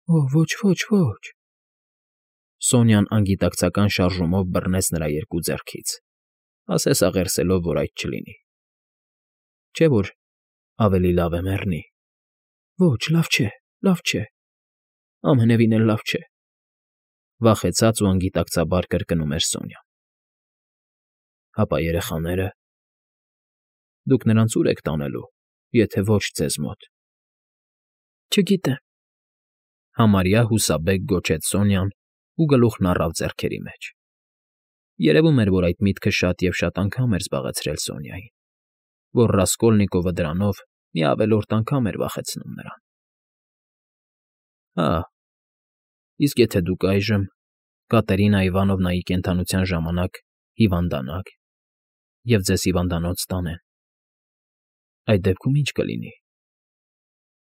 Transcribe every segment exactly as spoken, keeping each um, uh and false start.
Օ՜, ոչ, ոչ, ոչ… Սոնյան անգիտակցական շարժումով բռնեց նրա երկու ձեռքից, ասես աղերսելով, որ այդ չլինի։ Չէ՞ որ ավելի լավ է մեռնի։ Ոչ, լավ չէ, լավ չէ, ամենևին էլ լավ չէ…֊ վախեցած ու անգիտակցաբար կրկնում էր Սոնյան։ Հապա երեխաները… Դուք նրանց ո՞ւր եք տանելու, եթե ոչ ձեզ մոտ։ Չգիտեմ…֊ համարյա հուսաբեկ գոչեց Սոնյան ու գլուխն առավ ձեռքերի մեջ։ Երևում էր, որ այդ միտքը շատ և շատ անգամ էր զբաղեցրել Սոնյային, որ Ռասկոլնիկովը դրանով մի ավելորդ անգամ էր վախեցնում նրան։ Հա… Իսկ եթե դուք այժմ, Կատերինա Իվանովնայի կենդանության ժամանակ հիվանդանաք, և ձեզ հիվանդանոց տանեն, այդ դեպքում ի՞նչ կլինի,֊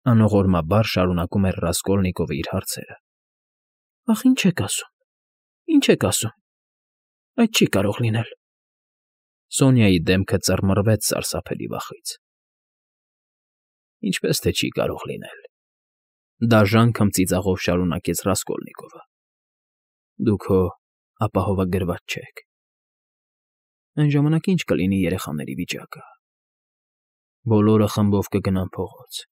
անողորմաբար շարունակում էր Ռասկոլնիկովը իր հարցերը։ Ախ, ի՞նչ եք ասում, ի՞նչ եք ասում… Այդ չի կարող լինել… Սոնյայի դեմքը ծռմռվեց սարսափելի վախից։ Ինչպե՞ս թե չի կարող լինել,֊ դաժան քմծիծաղով շարունակեց Ռասկոլնիկովը։֊ Դուք հո ապահովագրված չեք… Այն ժամանակ ի՞նչ կլինի երեխաների վիճակը… Բոլորը խմբով կգնան փողոց…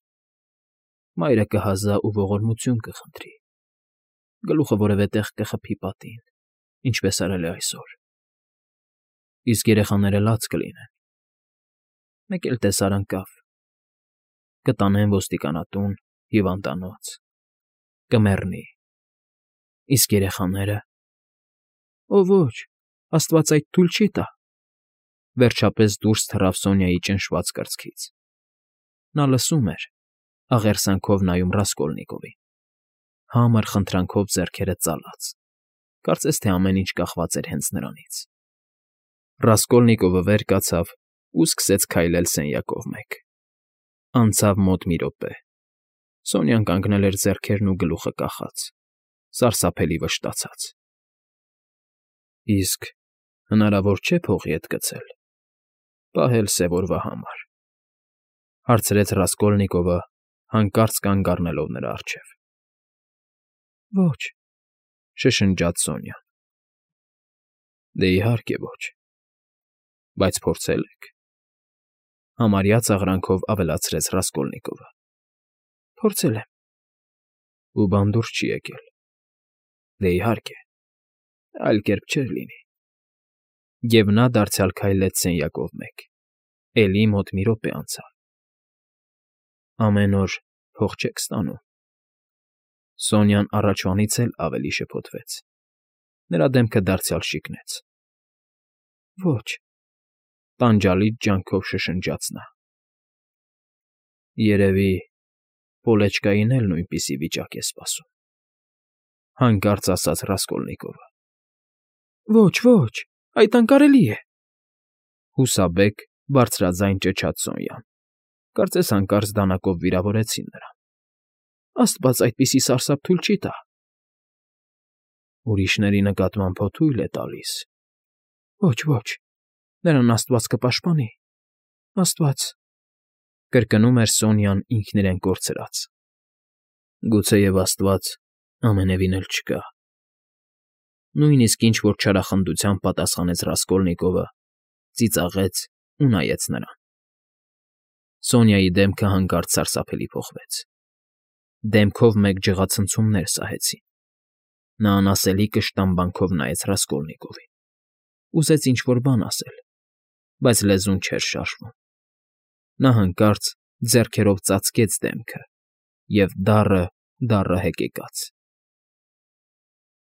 Մայրը կհազա ու ողորմություն կխնդրի… Գլուխը որևէ տեղ կխփի պատին, ինչպես արել է այսօր… Իսկ երեխաները լաց կլինեն… Մեկ էլ տեսար ընկավ… Կտանեն ոստիկանատուն, հիվանդանոց… Կմեռնի… Իսկ երեխաները… Օ, ոչ… Աստված այդ թույլ չի տա… Վերջապես դուրս թռավ Սոնյայի ճնշված կրծքից։ Նա լսում էր, աղերսանքով նայում Ռասկոլնիկովին, համր խնդրանքով ձեռքերը ծալած, կարծես թե ամեն ինչ կախված էր հենց նրանից։ Ռասկոլնիկովը վեր կացավ ու սկսեց քայլել սենյակով մեկ… Անցավ մոտ մի րոպե… Սոնյան կանգնել էր ձեռքերն ու գլուխը կախած, սարսափելի վշտացած։ Իսկ հնարավոր չէ՞ փողի հետ գցել, պահել սև օրվա համար,֊ հարցրեց Ռասկոլնիկովը, հանկարծ կանգ առնելով նրա առջև։ Ոչ…֊ շշնջաց Սոնյան։ Դե, իհարկե, ոչ… Բայց փորձե՞լ եք,֊ համարյա ծաղրանքով ավելացրեց Ռասկոլնիկովը։ Փորձել եմ… Ու բան դուրս չի եկել… Դե, իհարկե, այլ կերպ չէր լինի… Եվ նա դարձյալ քայլեց սենյակով մեկ… Էլի մոտ մի րոպե անցավ… Ամեն օր փող չեք ստանում… Սոնյան առաջվանից էլ ավելի շփոթվեց… Նրա դեմքը դարձյալ շիկնեց… Ոչ…֊ տանջալից ջանքով շշնջաց նա։ Երևի պոլեչկային էլ նույնպիսի վիճակ է սպասում…֊ հանկարծ ասաց Ռասկոլնիկովը։ Ոչ, ոչ… Այդ անկարելի է…֊ հուսաբեկ բարձրաձայն ճչաց Սոնյան, կարծես հանկարծ դանակով վիրավորեցին նրան։ Աստված այդպիսի սարսափ թույլ չի տա… Ուրիշների նկատմամբ հո թույլ է տալիս… Ոչ, ոչ… Նրան աստված կպաշտպանի… Աստված…֊ կրկնում էր Սոնյան ինքն իրեն կորցրած։ Գուցեև աստված ամենևին էլ չկա… Նույնիսկ ինչ֊որ չարախնդությամբ պատասխանեց Ռասկոլնիկովը, ծիծաղեց ու նայեց նրան։ Սոնյայի դեմքը հանկարծ սարսափելի փոխվեց… Դեմքով մեկ ջղացնցումներ սահեցին… Նա անասելի կշտամբանքով նայեց Ռասկոլնիկովին… Ուզեց ինչ֊որ բան ասել, բայց լեզուն չէր շարժվում… Նա հանկարծ ձեռքերով ծածկեց դեմքը և դառը, դառը հեկեկաց.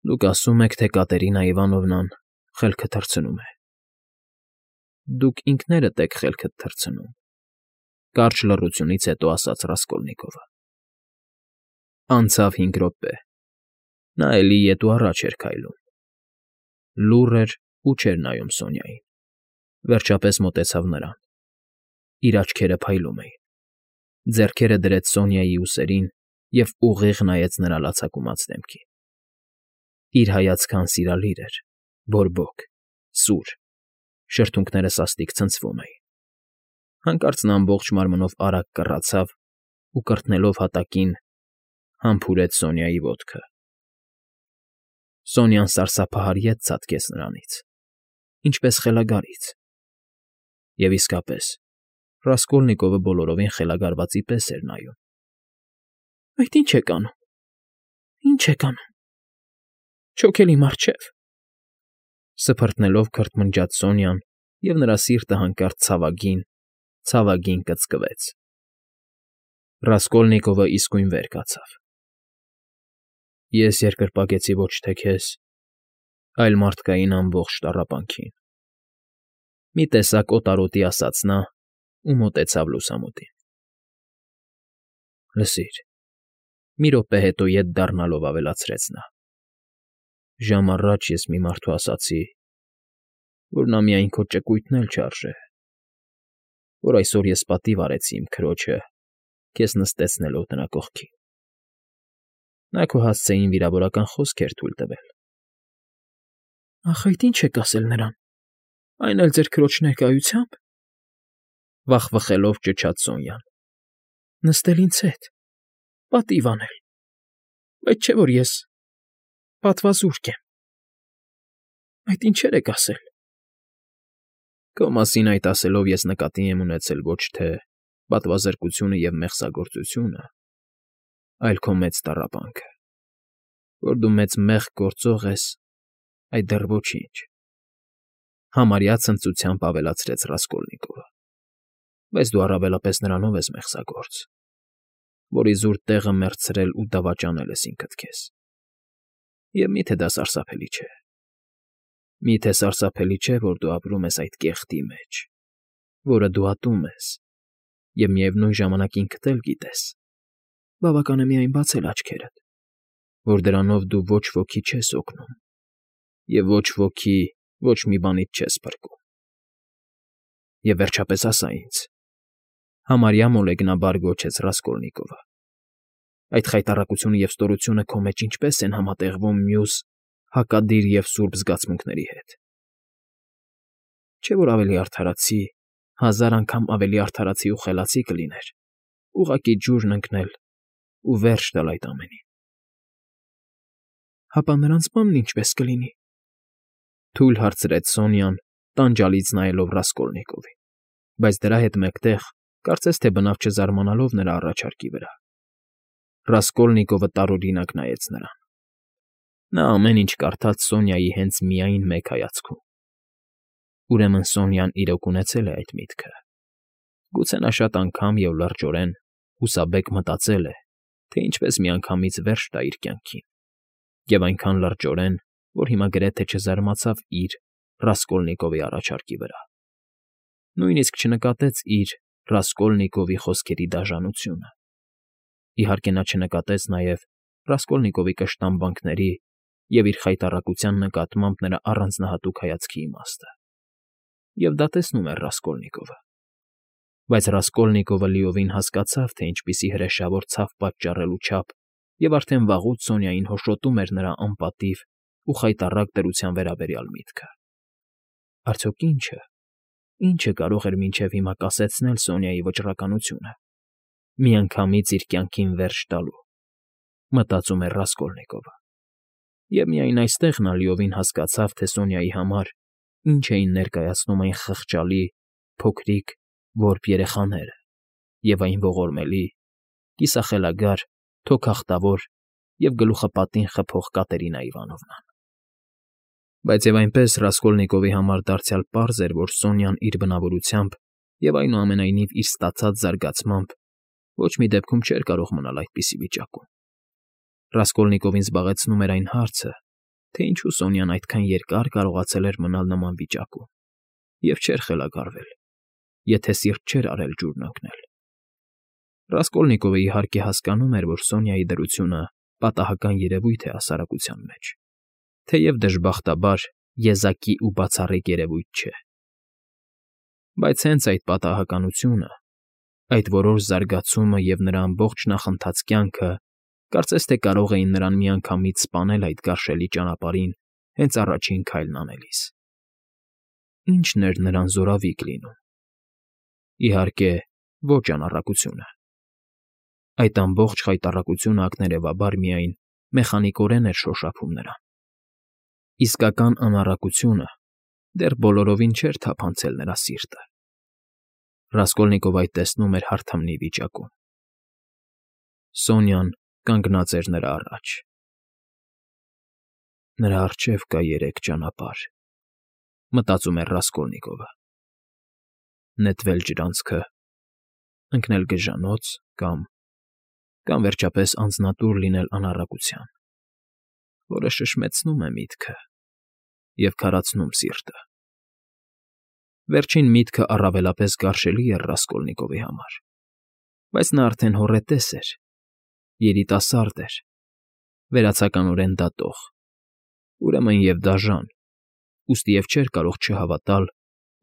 Դուք ասում եք, թե Կատերինա Իվանովնան խելքը թռցնում է… Դուք ինքներդ եք խելքդ թռցնում,֊ կարճ լռությունից հետո ասաց Ռասկոլնիկովը։ Անցավ հինգ րոպե… Նա էլի ետ ու առաջ էր քայլում… Լուռ էր ու չէր նայում Սոնյային… Վերջապես մոտեցավ նրան… Իր աչքերը փայլում էին… Ձեռքերը դրեց Սոնյայի ուսերին և ուղիղ նայեց նրա լացակումած դեմքին… Իր հայացքը անսիրալիր էր, բորբոք, սուր… Շրթունքները սաստիկ ցնցվում էին… Հանկարծ նա ամբողջ մարմնով արագ կռացավ ու, կրթնելով հատակին, Համբուրեց Սոնյայի ոտքը։ Սոնյան սարսափահար ետ ցատկեց նրանից, ինչպես խելագարից։ Եվ իսկապես, Ռասկոլնիկովը բոլորովին խելագարվածի պես էր նայում։ ֊ Այդ ի՞նչ եք անում, ի՞նչ եք անում, չոք էլի մառչև,֊ սփռտնելով քրթմնջաց Սոնյան, և նրա սիրտը հանկարծ ցավագին, ցավագին կծկվեց։ Ռասկոլնիկովը իսկույն վեր կացավ։ ֊ Ես երկրպագեցի ոչ թե քեզ, այլ մարդկային ամբողջ տառապանքին,֊ մի տեսակ օտարոտի ասաց նա ու մոտեցավ լուսամուտին։ ֊ Լսիր,֊ մի րոպե հետո ետ դառնալով ավելացրեց նա,֊ ժամ առաջ ես մի մարդու ասացի, որ նա միայն քո ճկույթն էլ չարժե, որ այսօր ես պատիվ արեցի իմ քրոջը քեզ նստեցնելով նրա կողքին։ Նա քո հասցեին վիրավորական խոսք էր թույլ տվել։ ֊ Ախ, այդ ի՞նչ եք ասել նրան, այն էլ ձեր քրոջ ներկայությա՞մբ,֊ վախվխելով ճչաց Սոնյան,֊ նստել ինձ հետ, պատիվ անել, բայց չէ որ ես պատվազուրկ եմ, այդ ինչեր եք ասել։ ֊ Քո մասին այդ ասելով ես նկատի եմ ունեցել ոչ թե պատվազրկությունը և մեղսագործությունը, այլ քո մեծ տառապանքը, որ դու մեծ մեղք գործող ես, այդ դեռ ոչինչ,֊ համարյա ցնծությամբ ավելացրեց Ռասկոլնիկովը,֊ բայց դու առավելապես նրանով ես մեղսագործ, որ իզուր տեղը մեռցրել ու դավաճանել ես ինքդ քեզ։ Եվ մի՞թե դա սարսափելի չէ։ Մի՞թե սարսափելի չէ, որ դու ապրում ես այդ կեղտի մեջ, որը դու ատում ես, և միևնույն ժամանակ ինքդ էլ գիտես, բավական է միայն բացել աչքերդ, որ դրանով դու ոչ ոքի չես օգնում և ոչ ոքի ոչ մի բանից չես փրկում։ Եվ վերջապես ասա ինձ,֊ համարյա մոլեգնաբար գոչեց Ռասկոլնիկովը,֊ այդ խայտառակությունը և ստորությունը քո մեջ ինչպե՞ս են համատեղվում մյուս հակադիր և սուրբ զգացմունքների հետ։ Չէ՞ որ ավելի արդարացի, հազար անգամ ավելի արդարացի ու խելացի կլիներ ուղղակի ջուրն ընկնել ու վերջ տալ այդ ամենին։ ֊ Հապա նրանց բա՞նն ինչպես կլինի,֊ թույլ հարցրեց Սոնյան, տանջալից նայելով Ռասկոլնիկովին, բայց դրա հետ մեկտեղ, կարծես թե բնավ չզարմանալով նրա առաջարկի վրա։ Ռասկոլնիկովը տարօրինակ նայեց նրան։ Նա ամեն ինչ կարդաց Սոնյայի հենց միայն մեկ հայացքում։ Ուրեմն Սոնյան իրոք ունեցել է այդ միտքը։ Գուցե նա շատ անգամ և լրջորեն, հուսաբեկ մտածել է, թե ինչպես միանգամից վերջ տա իր կյանքին, և այնքան լրջորեն, որ հիմա գրեթե չզարմացավ իր՝ Ռասկոլնիկովի առաջարկի վրա։ Նույնիսկ չնկատեց իր՝ Ռասկոլնիկովի խոսքերի դաժանությունը։ Իհարկե նա չնկատեց նաև Ռասկոլնիկովի կշտամբանքների և իր խայտառակության նկատմամբ նրա առանձնահատուկ հայացքի իմաստը։ Եվ դա տեսնում էր Ռասկոլնիկովը։ Բայց Ռասկոլնիկովը լիովին հասկացավ, թե ինչպիսի հրեշավոր ցավ պատճառելու չափ և արդեն վաղուց Սոնյային հոշոտում էր նրա անպատիվ ու խայտառակ դրության վերաբերյալ միտքը։ Արդյոք ի՞նչը, ի՞նչը կարող էր մինչև հիմա կասեցնել Սոնյայի վճռականությունը, միանգամից իր կյանքին վերջ տալու, մտածում էր Ռասկոլնիկովը։ Եվ միայն այստեղ նա լիովին հասկացավ, թե Սոնյայի համար ինչ էին ներկայացնում այն խղճալի, փոքրիկ, որբ երեխաները և այն ողորմելի, կիսախելագար, թոքախտավոր և գլուխը պատին խփող Կատերինա Իվանովնան։ Բայց և այնպես Ռասկոլնիկովի համար դարձյալ պարզ էր, որ Սոնյան իր բնավորությամբ և այնուամենայնիվ իր ստացած զարգացմամբ ոչ մի դեպքում չէր կարող մնալ այդպիսի վիճակում։ Ռասկոլնիկովին զբաղեցնում էր այն հարցը, թե ինչու Սոնյան այդքան երկար կարողացել էր մնալ նման վիճակում և չէր խելագարվել, եթե սիրտ չէր արել ջուրն ընկնել։ Ռասկոլնիկովը, իհարկե, հասկանում էր, որ Սոնյայի դրությունը պատահական երևույթ է հասարակության մեջ, թեև դժբախտաբար եզակի ու բացառիկ երևույթ չէ։ Բայց հենց այդ պատահականությունը, այդ որոշ զարգացումը և նրա ամբողջ նախընթաց կյանքը կարծես թե կարող էին նրան միանգամից սպանել այդ գարշելի ճանապարհին հենց առաջին քայլն անելիս։ Ի՞նչն էր նրան զորավիկ լինում։ Իհարկե, ոչ անառակությունը։ Այդ ամբողջ խայտառակությունը ակներևաբար միայն մեխանիկորեն էր շոշափում նրան։ Իսկական անառակությունը դեռ բոլորովին չէր թափանցել նրա սիրտը։ Ռասկոլնիկովը այդ տեսնում էր հարթամնի վիճակում։ Սոնյան կանգնած էր նրա առաջ։ Նրա առջև կա երեք ճանապարհ, մտածում էր Ռասկոլնիկովը. նետվել ջրանցքը, ընկնել գժանոց կամ կամ վերջապես անձնատուր լինել անառակության, որը շշմեցնում է միտքը և քարացնում սիրտը։ Վերջին միտքը առավելապես գարշելի էր Ռասկոլնիկովի համար, բայց նա արդեն հոռետես էր, երիտասարդ էր, վերացականորեն դատող, ուրեմն և դաժան, ուստի և չէր կարող չհավատալ,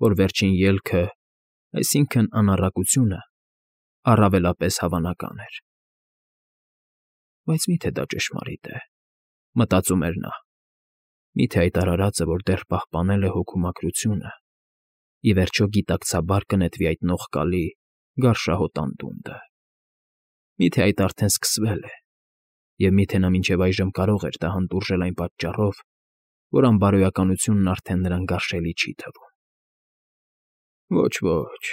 որ վերջին ելքը, այսինքն՝ անառակությունը, առավելապես հավանական էր։ Բայց մի՞թե դա ճշմարիտ է, մտածում էր նա, մի՞թե այդ արարածը, որ դեռ պահպանել է հոգու մաքրությունը, ի վերջո գիտակցաբար կնետվի այդ նողկալի, գարշահոտ անդունդը։ Մի՞թե այդ արդեն սկսվել է, և մի՞թե նա մինչև այժմ կարող էր դա հանդուրժել այն պատճառով, որ անբարոյականությունն արդեն նրան գարշելի չի թվում։ Ոչ, ոչ,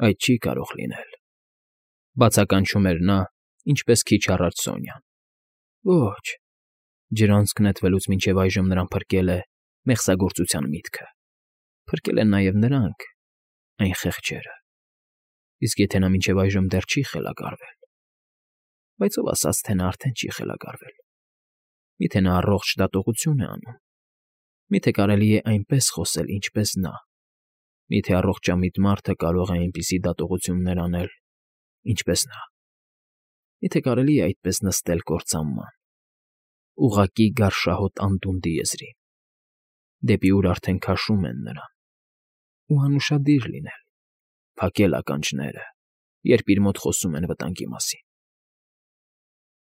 այդ չի կարող լինել, բացականչում էր նա, ինչպես քիչ առաջ Սոնյան։ Ոչ, ջրանցք նետվելուց մինչև այժմ նրան փրկել է մեղսագործության միտքը, փրկել են նաև նրանք, այն խեղճերը, իսկ եթե նա մինչև այժմ դեռ չի խելագարվել… Բայց ով ասաց, թե նա արդեն չի խելագարվել։ Միթե նա առողջ դատողություն է անում։ Միթե կարելի է այնպես խոսել, ինչպես նա։ Միթե առողջամիտ մարդը կարող է այնպիսի դատողություններ անել, ինչպես նա։ Միթե կարելի է այդպես նստել կործանման, ուղղակի գարշահոտ անդունդի եզրին, դեպի ուր արդեն քաշում են նրան, ու անուշադիր լինել, փակել ականջները, երբ իր մոտ խոսում են վտանգի մասին։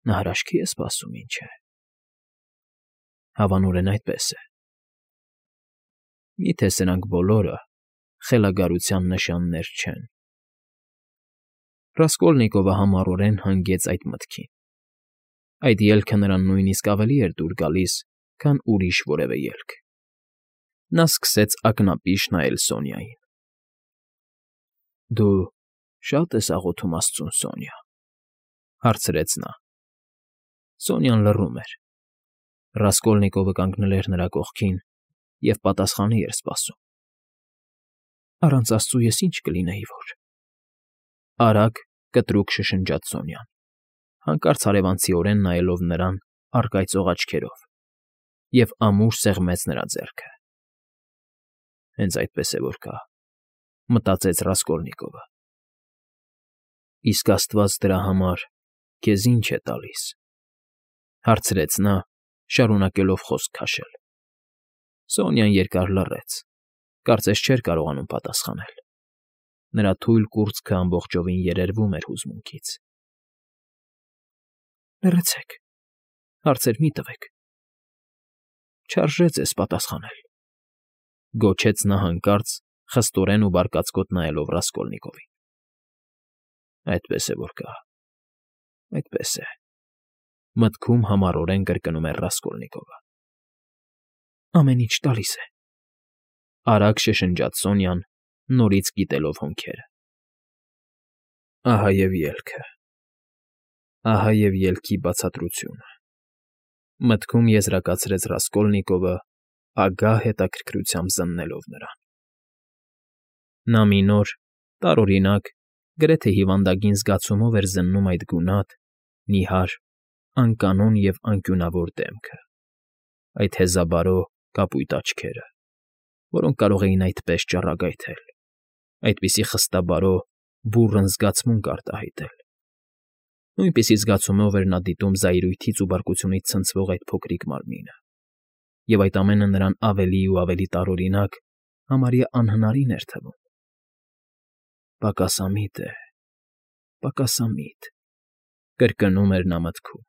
Նա հրաշքի է սպասում, ինչ է։ Հավանորեն այդպես է։ Միթե սրանք բոլորը խելագարության նշաններ չեն։ Ռասկոլնիկովը համառորեն հանգեց այդ մտքին։ Այդ ելքը նրան նույնիսկ ավելի էր դուր գալիս, քան ուրիշ որևէ ելք։ Նա սկսեց ակնապիշ նայել Սոնյային։ Դու շա՞տ ես աղոթում աստծուն, Սոնյա,֊ հարցրեց նա։ Սոնյան լռում էր։ Ռասկոլնիկովը կանգնել էր նրա կողքին և պատասխանի էր սպասում։ Առանց աստծու ես ինչ կլինեի, որ… Արագ, կտրուկ շշնջաց Սոնյան, հանկարծ հարևանցիորեն նայելով նրան առկայծող աչքերով, և ամուր սեղմեց նրա ձեռքը։ Հենց այդպես է որ կա, մտածեց Ռասկոլնիկովը։ Իսկ աստված դրա համար քեզ ի՞նչ է տալիս,֊ հարցրեց նա, շարունակելով խոսք քաշել։ Սոնյան երկար լռեց, կարծես չէր կարողանում պատասխանել։ Նրա թույլ կուրծքը ամբողջովին երերվում էր հուզմունքից։ Լռեցեք, հարցեր մի՛ տվեք։ Չարժե ձեզ պատասխանել,֊ գոչեց նա հանկարծ, խստորեն ու բարկացկոտ նայելով Ռասկոլնիկովին։ Այդպես է որ կա, այդպես է,֊ մտքում համառորեն կրկնում էր Ռասկոլնիկովը։ Ամեն ինչ տալիս է,֊ արագ շշնջաց Սոնյան, նորից կիտելով հոնքերը։ Ահա և ելքը, ահա և ելքի բացատրությունը,֊ մտքում եզրակացրեց Ռասկոլնիկովը, ագահ հետաքրքրությամբ զննելով նրան։ Նա մի նոր, տարօրինակ, գրեթե հիվանդագին զգացումով էր զննում այդ գունատ, նիհար, անկանոն և անկյունավոր դեմքը, այդ հեզաբարո, կապույտ աչքերը, որոնք կարող էին այդպես ճառագայթել, այդպիսի խստաբարո, բուռն զգացմունք արտահայտել։ Նույնպիսի զգացումով էր նա դիտում զայրույթից ու բարկությունից ցնցվող այդ փոքրիկ մարմինը, և այդ ամենը նրան ավելի ու ավելի տարօրինակ, համարյա անհնարին էր թվում։ Պակասամիտ է, պակասամիտ,֊ կրկնում էր նա մտքում։